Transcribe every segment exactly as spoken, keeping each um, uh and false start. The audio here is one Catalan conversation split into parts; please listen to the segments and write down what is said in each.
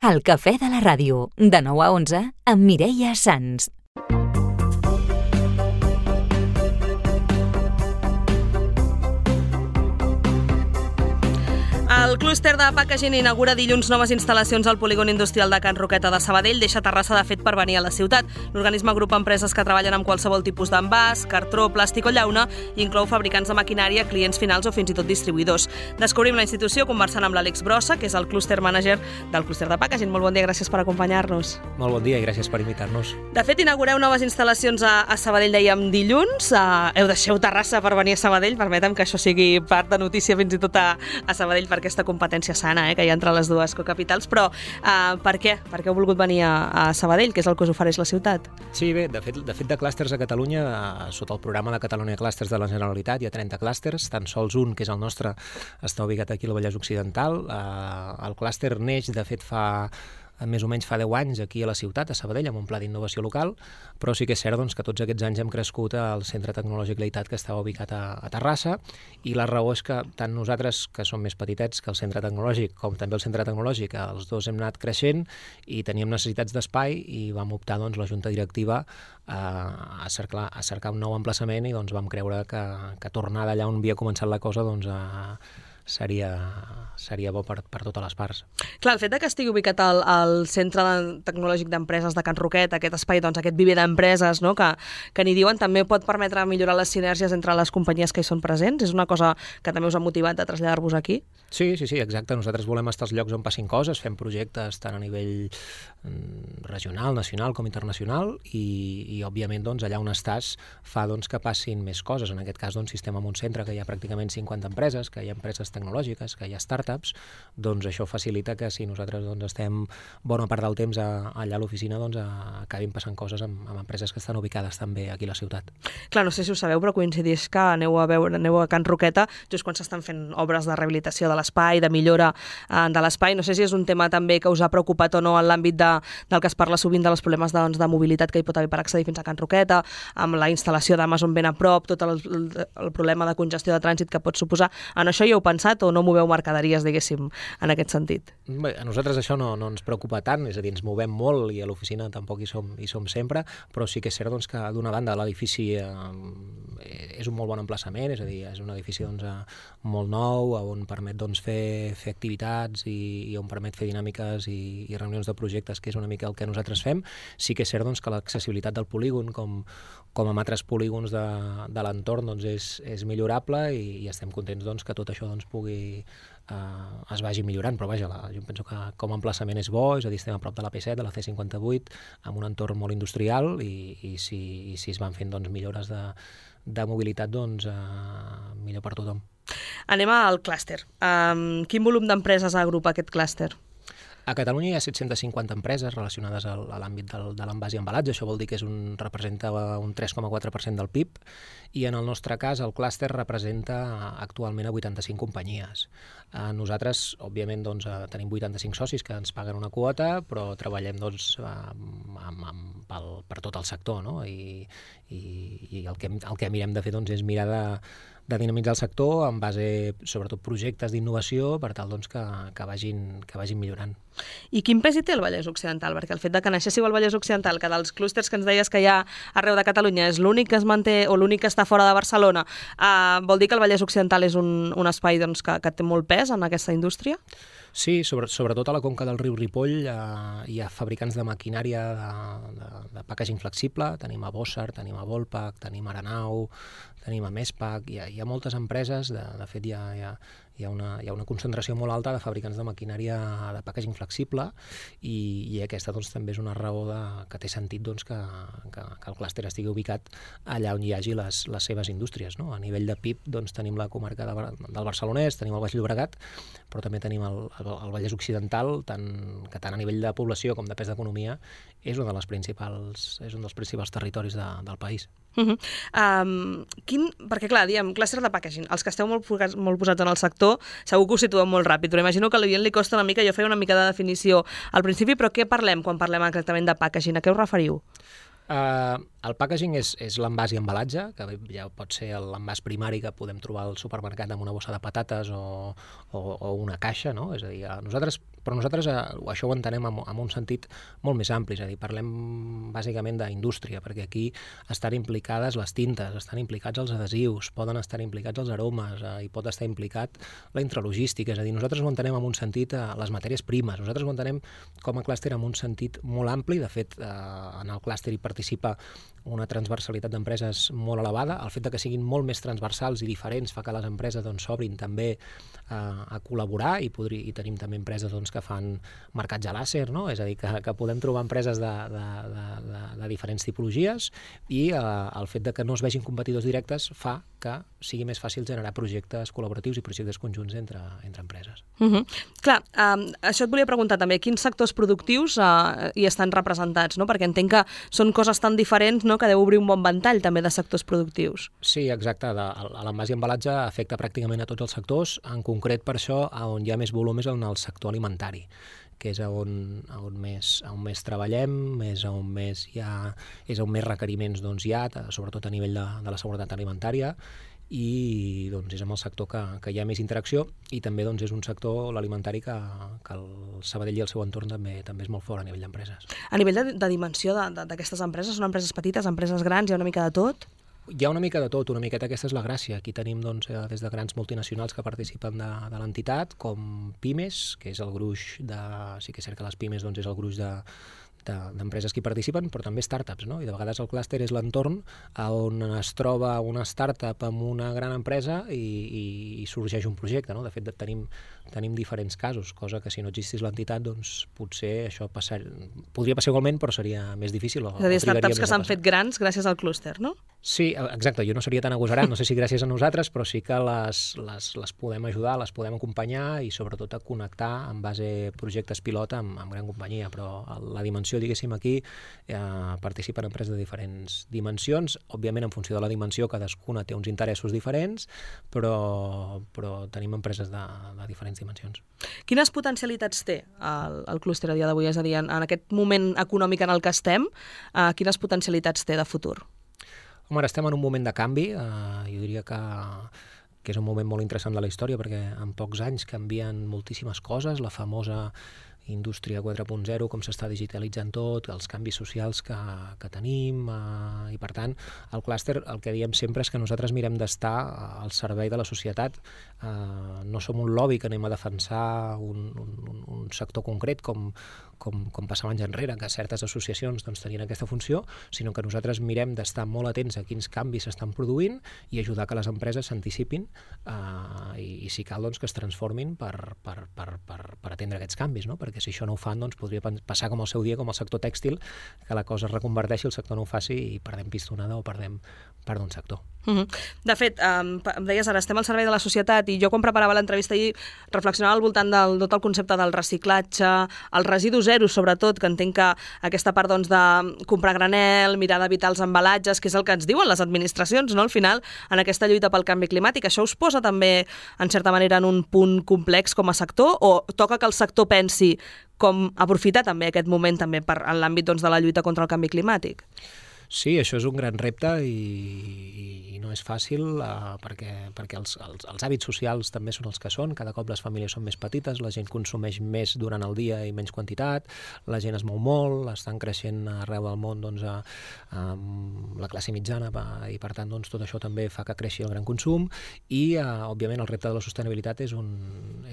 El cafè de la ràdio, de nou a onze, amb Mireia Sans. El clúster de packaging inaugura dilluns noves instal·lacions al polígon industrial de Can Roqueta de Sabadell. Deixa Terrassa, de fet, per venir a la ciutat. L'organisme agrupa empreses que treballen amb qualsevol tipus d'envàs, cartró, plàstic o llauna i inclou fabricants de maquinària, clients finals o fins i tot distribuïdors. Descobrim la institució conversant amb l'Àlex Brossa, que és el clúster manager del clúster de packaging. Molt bon dia, gràcies per acompanyar-nos. Molt bon dia i gràcies per invitar-nos. De fet, inaugureu noves instal·lacions a, a Sabadell, dèiem, dilluns. Uh, heu deixeu Terrassa per venir a Sabadell. Permetem que això sigui part de notícia fins i tot a, a Sabadell per aquesta competència sana, eh, que hi ha entre les dues cocapitals, però uh, per què? Per què heu volgut venir a, a Sabadell, que és el que us ofereix la ciutat? Sí, bé, de fet, de fet de clústers a Catalunya, uh, sota el programa de Catalunya Clústers de la Generalitat, hi ha trenta clústers, tan sols un, que és el nostre, està ubicat aquí al Vallès Occidental. Uh, el clúster neix, de fet, fa més o menys fa deu anys aquí a la ciutat, a Sabadell, amb un pla d'innovació local, però sí que és cert doncs, que tots aquests anys hem crescut al Centre Tecnològic Leitat, que estava ubicat a, a Terrassa, i la raó és que tant nosaltres, que som més petitets que el Centre Tecnològic, com també el Centre Tecnològic, els dos hem anat creixent i teníem necessitats d'espai i vam optar, doncs, la Junta Directiva a, a, cercar, a cercar un nou emplaçament i doncs, vam creure que, que tornar d'allà on havia començat la cosa doncs, a seria, seria bo per, per totes les parts. Clar, el fet que estigui ubicat al, al Centre Tecnològic d'Empreses de Can Roquet, aquest espai, doncs, aquest viver d'empreses, no?, que, que n'hi diuen, també pot permetre millorar les sinergies entre les companyies que hi són presents? És una cosa que també us ha motivat a traslladar-vos aquí? Sí, sí, sí, exacte. Nosaltres volem estar als llocs on passin coses, fem projectes tant a nivell regional, nacional com internacional i, i òbviament, doncs, allà on estàs fa doncs, que passin més coses. En aquest cas, doncs, si estem en un centre que hi ha pràcticament cinquanta empreses, que hi ha empreses tecnològiques, que hi ha startups, doncs això facilita que si nosaltres doncs, estem bona part del temps a, allà a l'oficina, doncs a, acabin passant coses amb, amb empreses que estan ubicades també aquí a la ciutat. Clar, no sé si ho sabeu, però coincideix que aneu a veure, aneu a Can Roqueta just quan s'estan fent obres de rehabilitació de l'espai, de millora eh, de l'espai. No sé si és un tema també que us ha preocupat o no en l'àmbit de, del que es parla sovint dels problemes de, doncs, de mobilitat que hi pot haver per accedir fins a Can Roqueta, amb la instal·lació d'Amazon ben a prop, tot el, el, el problema de congestió de trànsit que pot suposar. En això hi heu pensat o no moveu mercaderies, diguéssim, en aquest sentit? Bé, a nosaltres això no, no ens preocupa tant, és a dir, ens movem molt i a l'oficina tampoc hi som, hi som sempre, però sí que és cert doncs, que d'una banda l'edifici eh, és un molt bon emplaçament, és a dir, és un edifici doncs, molt nou, on permet doncs, fer, fer activitats i, i on permet fer dinàmiques i, i reunions de projectes, que és una mica el que nosaltres fem. Sí que és cert doncs, que l'accessibilitat del polígon, com, com amb altres polígons de, de l'entorn, doncs, és, és millorable i, i estem contents doncs, que tot això doncs, pugui Uh, es vagi millorant, però vaja, la, jo penso que com a emplaçament és bo, és a dir, estem a prop de la P set, de la C cinquanta-vuit, amb un entorn molt industrial i, i, si, i si es van fent doncs, millores de, de mobilitat, doncs uh, millor per tothom. Anem al clúster. Um, quin volum d'empreses agrupa aquest clúster? A Catalunya hi ha set-cents cinquanta empreses relacionades al, a l'àmbit del, de l'envàs i embalatge. Això vol dir que és un, representa un tres coma quatre per cent del P I B i en el nostre cas el clúster representa actualment a vuitanta-cinc companyies. Eh, nosaltres, òbviament, doncs, eh, tenim vuitanta-cinc socis que ens paguen una quota, però treballem doncs, amb, amb, amb, pel, per tot el sector, no? I, i, i el, que, el que mirem de fer doncs, és mirar de de dinamitzar el sector en base, sobretot, projectes d'innovació per tal doncs, que, que, vagin, que vagin millorant. I quin pes hi té el Vallès Occidental? Perquè el fet de que naixéssiu al Vallès Occidental, que dels clústers que ens deies que hi ha arreu de Catalunya és l'únic que es manté o l'únic que està fora de Barcelona, eh, vol dir que el Vallès Occidental és un, un espai doncs, que, que té molt pes en aquesta indústria? Sí, sobre, sobretot a la conca del riu Ripoll eh, hi ha fabricants de maquinària de, de, de packaging flexible, tenim a Bossard, tenim a Volpac, tenim a Aranau, tenim a Mespac, hi ha, hi ha moltes empreses, de, de fet hi ha, hi, ha, hi, ha una, hi ha una concentració molt alta de fabricants de maquinària de packaging flexible i, i aquesta doncs, també és una raó de, que té sentit doncs, que, que, que el clúster estigui ubicat allà on hi hagi les, les seves indústries. No? A nivell de P I B doncs, tenim la comarca de, del Barcelonès, tenim el Baix Llobregat, però també tenim el, el, el Vallès Occidental, tant, que tant a nivell de població com de pes d'economia és, una de les principals, és un dels principals territoris de, del país. Uh -huh. um, quin, perquè clar, diem, clúster de packaging, els que esteu molt, molt posats en el sector segur que ho situem molt ràpid, però imagino que a l'oient li costa una mica, jo feia una mica de definició al principi, però què parlem quan parlem exactament de packaging? A què us referiu? Uh, el packaging és, és l'envàs i embalatge, que ja pot ser l'envàs primari que podem trobar al supermercat amb una bossa de patates o, o, o una caixa, no? És a dir, nosaltres, però nosaltres uh, això ho entenem en, en un sentit molt més ampli, és a dir, parlem bàsicament d'indústria, perquè aquí estan implicades les tintes, estan implicats els adhesius, poden estar implicats els aromes, uh, i pot estar implicat la intralogística, és a dir, nosaltres ho entenem en un sentit uh, les matèries primes, nosaltres ho entenem com a clúster en un sentit molt ampli, de fet, uh, en el clúster hi participa una transversalitat d'empreses molt elevada. El fet de que siguin molt més transversals i diferents fa que les empreses doncs, s'obrin també eh, a col·laborar i, podri, i tenim també empreses doncs, que fan marcatge làser, no? És a dir, que, que podem trobar empreses de, de, de, de, de diferents tipologies i eh, el fet de que no es vegin competidors directes fa que sigui més fàcil generar projectes col·laboratius i projectes conjunts entre, entre empreses. Uh -huh. Clar, um, això et volia preguntar també, quins sectors productius uh, hi estan representats, no? Perquè entenc que són coses tan diferents, no?, que deu obrir un bon ventall també de sectors productius. Sí, exacte. L'envàs i embalatge afecta pràcticament a tots els sectors. En concret, per això, on hi ha més volum és en el sector alimentari, que és on, on, més, on més treballem, és on més, hi ha, és on més requeriments doncs, hi ha, sobretot a nivell de, de la seguretat alimentària, i doncs, és amb el sector que, que hi ha més interacció i també doncs, és un sector, l'alimentari, que, que el Sabadell i el seu entorn també, també és molt fort a nivell d'empreses. A nivell de, de dimensió d'aquestes empreses, són empreses petites, empreses grans, hi ha una mica de tot? Hi ha una mica de tot, una miqueta aquesta és la gràcia. Aquí tenim doncs, des de grans multinacionals que participen de, de l'entitat, com Pimes, que és el gruix de... Sí que és cert que les Pimes doncs, és el gruix de d'empreses que hi participen, però també startups, no? I de vegades el clúster és l'entorn on es troba una startup amb una gran empresa i, i, i sorgeix un projecte, no? De fet, tenim, tenim diferents casos, cosa que si no existís l'entitat, doncs potser això passar, podria passar igualment, però seria més difícil. O, és a dir, startups que s'han fet grans gràcies al clúster, no? Sí, exacte, jo no seria tan agosarat, no sé si gràcies a nosaltres, però sí que les, les, les podem ajudar, les podem acompanyar i sobretot a connectar en base a projectes pilot amb, amb gran companyia, però la dimensió, diguéssim, aquí eh, participen empreses de diferents dimensions, òbviament en funció de la dimensió cadascuna té uns interessos diferents, però, però tenim empreses de, de diferents dimensions. Quines potencialitats té el, el clúster a dia d'avui? És a dir, en, en aquest moment econòmic en el que estem, eh, quines potencialitats té de futur? Home, ara estem en un moment de canvi, eh, jo diria que, que és un moment molt interessant de la història perquè en pocs anys canvien moltíssimes coses, la famosa indústria quatre punt zero, com s'està digitalitzant tot, els canvis socials que, que tenim, eh, i per tant el clúster, el que diem sempre és que nosaltres mirem d'estar al servei de la societat, eh, no som un lobby que anem a defensar un, un, un sector concret com, com, com passava anys enrere, que certes associacions doncs, tenien aquesta funció, sinó que nosaltres mirem d'estar molt atents a quins canvis s'estan produint i ajudar que les empreses s'anticipin eh, i, i si cal doncs, que es transformin per, per, per, per, per atendre aquests canvis, no? Perquè si això no ho fan, doncs podria passar com el seu dia, com el sector tèxtil, que la cosa es reconverteixi, el sector no ho faci i perdem pistonada o perdem part d'un sector. Uh-huh. De fet, um, em deies ara, estem al servei de la societat i jo quan preparava l'entrevista ahir reflexionava al voltant del tot el concepte del reciclatge, el residu zero sobretot, que entenc que aquesta part doncs, de comprar granel, mirar d'evitar els embalatges, que és el que ens diuen les administracions, no? Al final, en aquesta lluita pel canvi climàtic, això us posa també, en certa manera, en un punt complex com a sector o toca que el sector pensi com aprofitar també aquest moment també per, en l'àmbit doncs, de la lluita contra el canvi climàtic? Sí, això és un gran repte i, i no és fàcil uh, perquè, perquè els, els, els hàbits socials també són els que són, cada cop les famílies són més petites, la gent consumeix més durant el dia i menys quantitat, la gent es mou molt, estan creixent arreu del món doncs, a, a la classe mitjana i per tant doncs, tot això també fa que creixi el gran consum i uh, òbviament el repte de la sostenibilitat és un,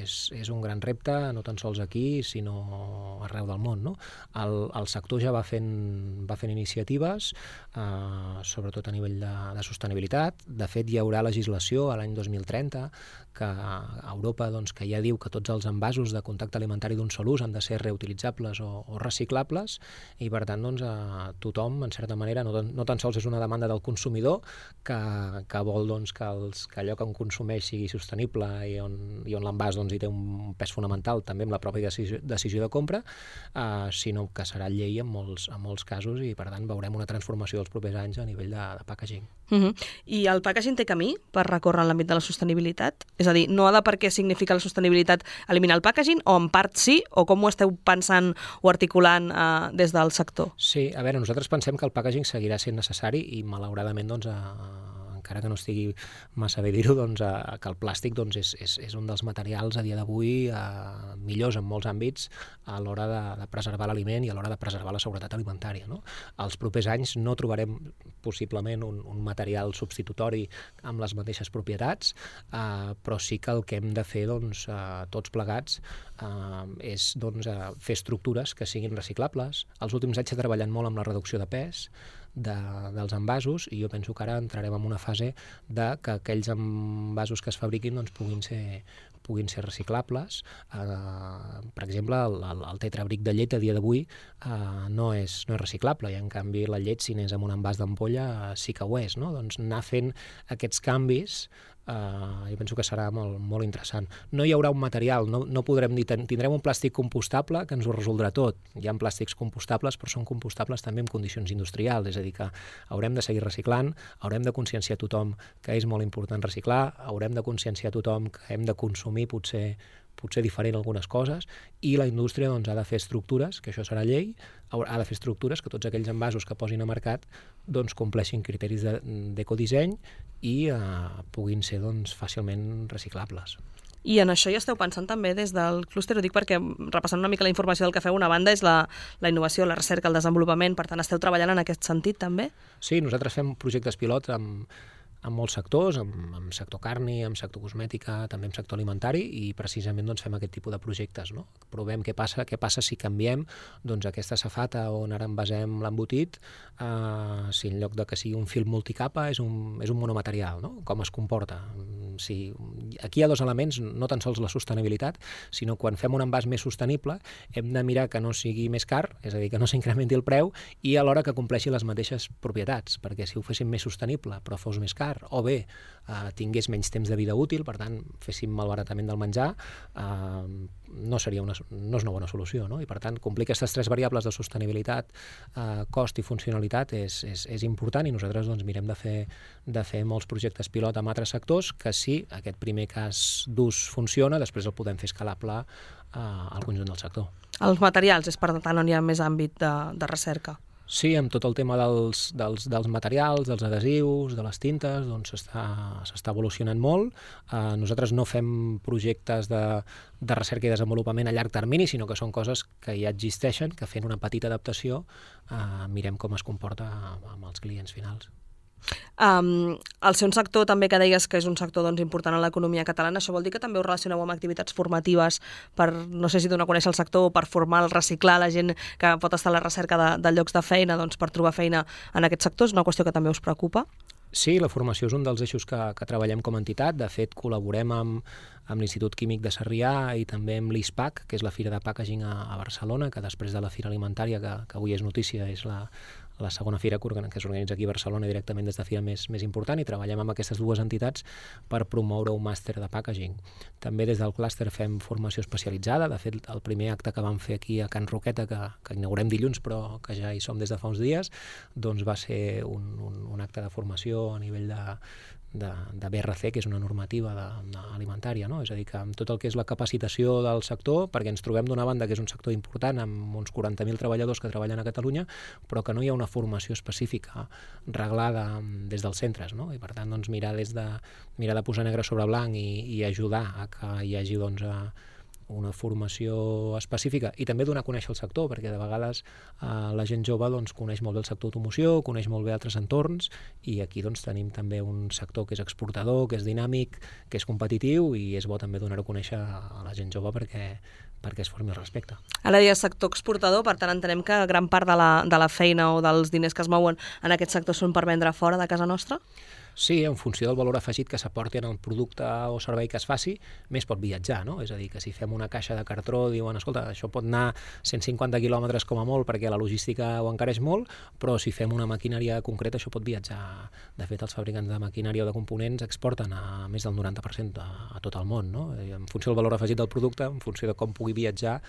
és, és un gran repte, no tan sols aquí sinó arreu del món, no? El, el sector ja va fent, va fent iniciatives Uh, sobretot a nivell de, de sostenibilitat. De fet, hi haurà legislació a l'any dos mil trenta que a Europa doncs, que ja diu que tots els envasos de contacte alimentari d'un sol ús han de ser reutilitzables o, o reciclables i per tant doncs, uh, tothom, en certa manera, no, no tan sols és una demanda del consumidor que, que vol doncs, que, els, que allò que en consumeix sigui sostenible i on, i on l'envàs doncs, hi té un pes fonamental també amb la pròpia decisió, decisió de compra, uh, sinó que serà llei en molts, en molts casos i per tant veurem una transformació dels propers anys a nivell de, de packaging. Uh-huh. I el packaging té camí per recórrer en l'àmbit de la sostenibilitat? És a dir, no ha de per què significa la sostenibilitat eliminar el packaging, o en part sí, o com ho esteu pensant o articulant eh, des del sector? Sí, a veure, nosaltres pensem que el packaging seguirà sent necessari i malauradament doncs, a, encara que no estigui massa bé dir-ho, doncs, a, que el plàstic doncs, és, és, és un dels materials a dia d'avui eh, millors en molts àmbits a l'hora de, de preservar l'aliment i a l'hora de preservar la seguretat alimentària. No? Els propers anys no trobarem possiblement un, un material substitutori amb les mateixes propietats, eh, però sí que el que hem de fer doncs, eh, tots plegats eh, és doncs, eh, fer estructures que siguin reciclables. Els últims anys s'ha treballat molt amb la reducció de pes, De, dels envasos, i jo penso que ara entrarem en una fase de que aquells envasos que es fabriquin doncs, puguin ser puguin ser reciclables. Uh, per exemple, el, el, el tetrabric de llet a dia d'avui uh, no, és, no és reciclable, i en canvi la llet, si n'és amb un envàs d'ampolla, uh, sí que ho és. No? Doncs anar fent aquests canvis Uh, jo penso que serà molt, molt interessant. No hi haurà un material, no, no podrem dir, tindrem un plàstic compostable que ens ho resoldrà tot. Hi ha plàstics compostables, però són compostables també en condicions industrials, és a dir, que haurem de seguir reciclant, haurem de conscienciar tothom que és molt important reciclar, haurem de conscienciar tothom que hem de consumir potser potser diferent algunes coses, i la indústria doncs, ha de fer estructures, que això serà llei, ha de fer estructures que tots aquells envasos que posin a mercat doncs, compleixin criteris d'ecodisseny i eh, puguin ser doncs, fàcilment reciclables. I en això ja esteu pensant també des del clúster, ho dic perquè, repassant una mica la informació del que feu, una banda és la, la innovació, la recerca, el desenvolupament, per tant esteu treballant en aquest sentit també? Sí, nosaltres fem projectes pilot amb en molts sectors, en, en sector carni, en sector cosmètica, també en sector alimentari, i precisament doncs, fem aquest tipus de projectes. No? Provem què passa, què passa si canviem doncs, aquesta safata on ara envasem l'embotit, eh, si en lloc de que sigui un fil multicapa és un, és un monomaterial, no? Com es comporta. Si, aquí hi ha dos elements, no tan sols la sostenibilitat, sinó quan fem un envàs més sostenible hem de mirar que no sigui més car, és a dir, que no s'incrementi el preu, i alhora que compleixi les mateixes propietats, perquè si ho féssim més sostenible però fos més car, o bé eh, tingués menys temps de vida útil, per tant féssim malbaratament del menjar, eh, no seria una, no és una bona solució, no? I per tant complir aquestes tres variables de sostenibilitat, eh, cost i funcionalitat és, és, és important, i nosaltres doncs, mirem de fer, de fer molts projectes pilot amb altres sectors que si aquest primer cas d'ús funciona, després el podem fer escalable eh, al conjunt del sector. Els materials és per tant on hi ha més àmbit de, de recerca? Sí, amb tot el tema dels, dels, dels materials, dels adhesius, de les tintes, doncs s'està evolucionant molt. Eh, nosaltres no fem projectes de, de recerca i desenvolupament a llarg termini, sinó que són coses que ja existeixen, que fent una petita adaptació eh, mirem com es comporta amb els clients finals. Um, el seu sector també, que deies que és un sector doncs, important en l'economia catalana, això vol dir que també us relacioneu amb activitats formatives per, no sé si donar a conèixer el sector, per formar, reciclar la gent que pot estar a la recerca de, de llocs de feina, doncs, per trobar feina en aquest sector? És una qüestió que també us preocupa? Sí, la formació és un dels eixos que, que treballem com a entitat. De fet, col·laborem amb, amb l'Institut Químic de Sarrià i també amb l'I S P A C, que és la Fira de Packaging a, a Barcelona, que després de la Fira Alimentària, que, que avui és notícia, és la, la segona fira que s'organitza aquí a Barcelona directament des de fira més, més important, i treballem amb aquestes dues entitats per promoure un màster de packaging. També des del clúster fem formació especialitzada. De fet, el primer acte que vam fer aquí a Can Roqueta, que, que inaugurem dilluns, però que ja hi som des de fa uns dies, doncs va ser un, un, un acte de formació a nivell de, de, de B R C, que és una normativa de, de alimentària, no? És a dir, que amb tot el que és la capacitació del sector, perquè ens trobem d'una banda que és un sector important, amb uns quaranta mil treballadors que treballen a Catalunya, però que no hi ha una formació específica reglada des dels centres, no? I per tant, doncs, mirar, des de, mirar de posar negre sobre blanc i, i ajudar a que hi hagi doncs, a, una formació específica, i també donar a conèixer el sector, perquè de vegades eh, la gent jove doncs, coneix molt bé el sector automoció, coneix molt bé altres entorns, i aquí doncs, tenim també un sector que és exportador, que és dinàmic, que és competitiu, i és bo també donar-ho a conèixer a la gent jove perquè, perquè es formi el respecte. Ara deies sector exportador, per tant entenem que gran part de la, de la feina o dels diners que es mouen en aquest sector són per vendre fora de casa nostra? Sí, en funció del valor afegit que s'aporti en el producte o servei que es faci, més pot viatjar, no? És a dir, que si fem una caixa de cartró, diuen, escolta, això pot anar cent cinquanta quilòmetres com a molt perquè la logística ho encareix molt, però si fem una maquinària concreta això pot viatjar. De fet, els fabricants de maquinària o de components exporten a més del noranta per cent a, a tot el món, no? I en funció del valor afegit del producte, en funció de com pugui viatjar,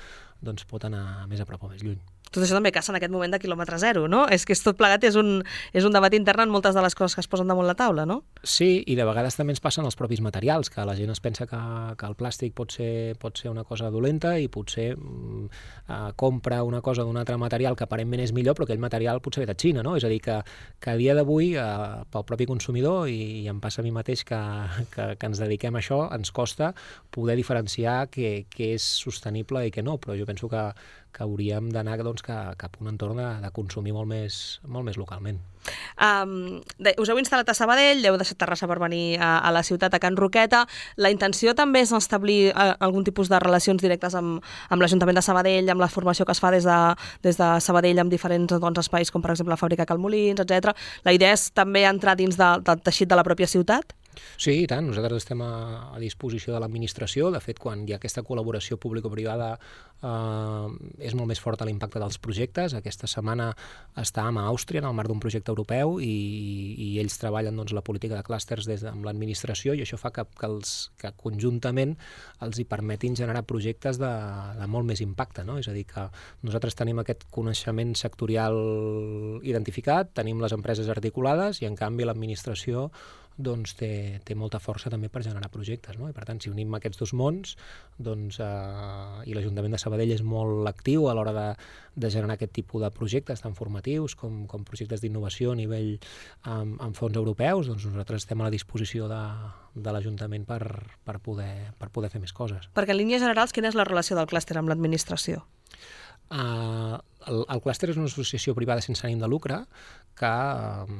doncs pot anar més a prop o més lluny. tot això també caça en aquest moment de quilòmetre zero, no? És que és tot plegat és un, és un debat intern en moltes de les coses que es posen damunt la taula, no? Sí, i de vegades també ens passen els propis materials, que la gent es pensa que, que el plàstic pot ser, pot ser una cosa dolenta i potser mm, eh, compra una cosa d'un altre material que aparentment és millor, però aquell material potser ve de Xina, no? És a dir, que, que a dia d'avui, eh, pel propi consumidor, i, i em passa a mi mateix que, que, que ens dediquem a això, ens costa poder diferenciar què, què és sostenible i què no, però jo penso que, que hauríem d'anar doncs, cap a un entorn de, de consumir molt més, molt més localment. Um, de, us heu instal·lat a Sabadell, heu deixat Terrassa per venir a, a la ciutat, a Can Roqueta. La intenció també és establir uh, algun tipus de relacions directes amb, amb l'Ajuntament de Sabadell, amb la formació que es fa des de, des de Sabadell amb diferents doncs, espais, com per exemple la fàbrica Cal Molins, etcètera. La idea és també entrar dins de, del teixit de la pròpia ciutat? Sí, i tant. Nosaltres estem a, a disposició de l'administració. De fet, quan hi ha aquesta col·laboració público-privada eh, és molt més fort l'impacte dels projectes. Aquesta setmana estàvem a Àustria en el marc d'un projecte europeu i, i ells treballen doncs, la política de clústers des de, amb l'administració i això fa que, que, els, que conjuntament els hi permetin generar projectes de, de molt més impacte, no? És a dir, que nosaltres tenim aquest coneixement sectorial identificat, tenim les empreses articulades i en canvi l'administració doncs té, té molta força també per generar projectes, no? I per tant, si unim aquests dos mons, doncs, eh, i l'Ajuntament de Sabadell és molt actiu a l'hora de, de generar aquest tipus de projectes tan formatius com, com projectes d'innovació a nivell amb, amb fons europeus, doncs nosaltres estem a la disposició de, de l'Ajuntament per, per, poder, per poder fer més coses. Perquè en línies generals, quina és la relació del clúster amb l'administració? Uh, el, el clúster és una associació privada sense ànim de lucre que uh,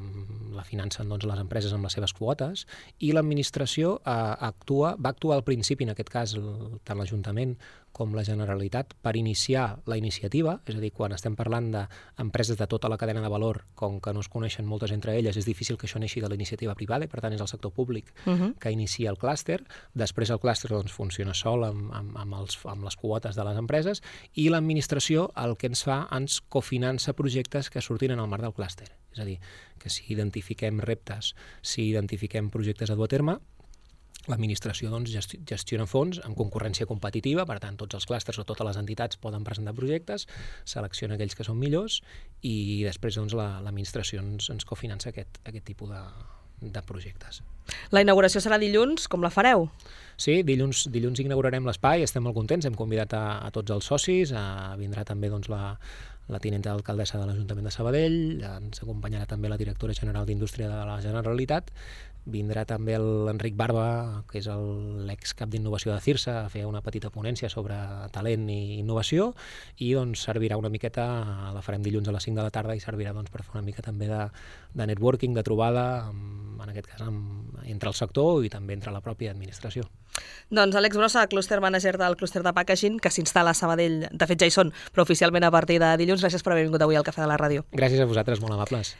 la financen doncs, les empreses amb les seves quotes i l'administració uh, actua, va actuar al principi, en aquest cas el, tant l'Ajuntament com la Generalitat, per iniciar la iniciativa, és a dir, quan estem parlant d'empreses de tota la cadena de valor, com que no es coneixen moltes entre elles, és difícil que això neixi de la iniciativa privada i per tant és el sector públic uh-huh. que inicia el clúster. Després el clúster doncs, funciona sol amb, amb, amb, els, amb les quotes de les empreses i l'administració el que ens fa, ens cofinança projectes que surtin en el marc del clúster. És a dir, que si identifiquem reptes, si identifiquem projectes a dur a terme, l'administració doncs, gestiona fons amb concurrència competitiva, per tant, tots els clústers o totes les entitats poden presentar projectes, selecciona aquells que són millors i després doncs, la, l'administració ens, ens cofinança aquest, aquest tipus de, de projectes. La inauguració serà dilluns, com la fareu? Sí, dilluns, dilluns inaugurarem l'espai, estem molt contents, hem convidat a, a tots els socis, a, vindrà també doncs, la, la tinenta d'alcaldessa de l'Ajuntament de Sabadell, ens acompanyarà també la directora general d'Indústria de la Generalitat, vindrà també l'Enric Barba, que és l'excap d'innovació de CIRSA, a fer una petita ponència sobre talent i innovació i doncs, servirà una miqueta, la farem dilluns a les cinc de la tarda i servirà doncs, per fer una mica també de, de networking, de trobada, amb, en aquest cas amb, entre el sector i també entre la pròpia administració. Doncs Àlex Brossa, clúster manager del clúster de packaging, que s'instal·la a Sabadell, de fet ja hi són, però oficialment a partir de dilluns. Gràcies per haver vingut avui al Cafè de la Ràdio. Gràcies a vosaltres, molt amables.